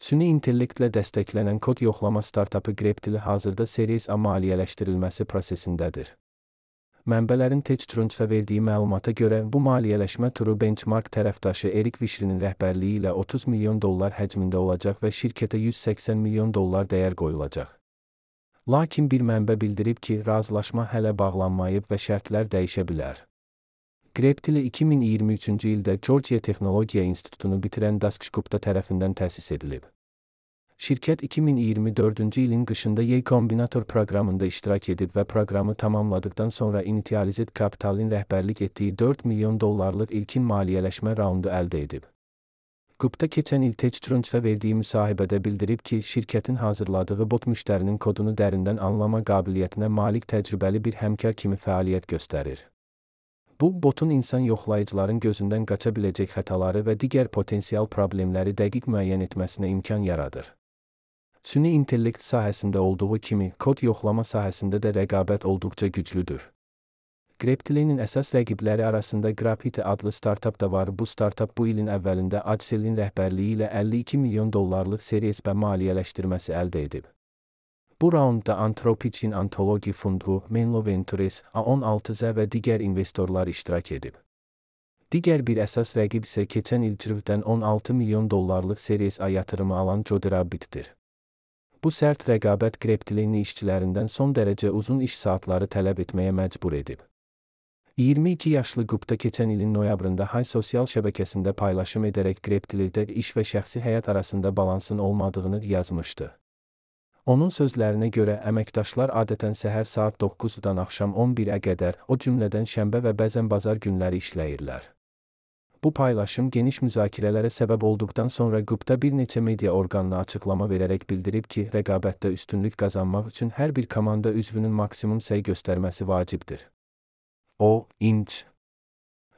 Süni intellektlə dəstəklənən kod yoxlama startapı Greptili hazırda Series A maliyyələşdirilməsi prosesindədir. Mənbələrin TechCrunch'a verdiyi məlumata görə bu maliyyələşmə turu Benchmark tərəfdaşı Eric Wishrinin rəhbərliyi ilə $30 milyon həcmində olacaq və şirkətə $180 milyon dəyər qoyulacaq. Lakin bir mənbə bildirib ki, razılaşma hələ bağlanmayıb və şərtlər dəyişə bilər. Greptili 2023-cü ildə Georgia Texnologiya İnstitutunu bitirən Dasksh Gupta tərəfindən təsis edilib. Şirkət 2024-cü ilin qışında Y Combinator proqramında iştirak edib və proqramı tamamladıqdan sonra Initialized Capital'in rəhbərlik etdiyi $4 milyon ilkin maliyyələşmə raundu əldə edib. Gupta keçən il TechCrunch'a verdiyi müsahibədə bildirib ki, şirkətin hazırladığı bot müştərinin kodunu dərindən anlama qabiliyyətinə malik təcrübəli bir həmkar kimi fəaliyyət göstərir. Bu, botun insan yoxlayıcıların gözündən qaça biləcək xətaları və digər potensial problemləri dəqiq müəyyən etməsinə imkan yaradır. Süni intellekt sahəsində olduğu kimi, kod yoxlama sahəsində də rəqabət olduqca güclüdür. Greptili'nin əsas rəqibləri arasında Graphitti adlı startap da var. Bu startap bu ilin əvvəlində Adsel'in rəhbərliyi ilə $52 milyon Series B maliyyələşdirməsi əldə edib. Bu raundda Anthropic'in Antology Fundu, Menlo Ventures, A16Z və digər investorlar iştirak edib. Digər bir əsas rəqib isə keçən il Cirv'dən $16 milyon Series A yatırımı alan Joderabbit'dir. Bu sərt rəqabət Greptili'nin işçilərindən son dərəcə uzun iş saatları tələb etməyə məcbur edib. 22 yaşlı Gupta keçən ilin noyabrında Hay sosial şəbəkəsində paylaşım edərək Greptili'də iş və şəxsi həyat arasında balansın olmadığını yazmışdı. Onun sözlərinə görə əməkdaşlar adətən səhər saat 9-dan axşam 11-ə qədər, o cümlədən şənbə və bəzən bazar günləri işləyirlər. Bu paylaşım geniş müzakirələrə səbəb olduqdan sonra Gupta bir neçə media orqanına açıqlama verərək bildirib ki, rəqabətdə üstünlük qazanmaq üçün hər bir komanda üzvünün maksimum səy göstərməsi vacibdir. O, Inc.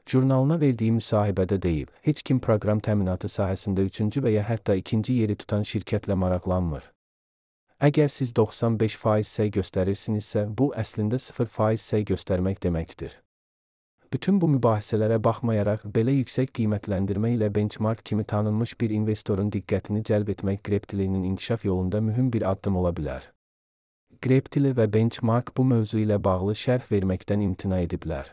jurnalına verdiyi müsahibədə deyib, heç kim proqram təminatı sahəsində 3-cü və ya hətta 2-ci yeri tutan şirkətlə maraqlanmır. Əgər siz 95% səy göstərirsinizsə, bu əslində 0% səy göstərmək deməkdir. Bütün bu mübahisələrə baxmayaraq, belə yüksək qiymətləndirmə ilə Benchmark kimi tanınmış bir investorun diqqətini cəlb etmək Greptili'nin inkişaf yolunda mühüm bir addım ola bilər. Greptili və Benchmark bu mövzu ilə bağlı şərh verməkdən imtina ediblər.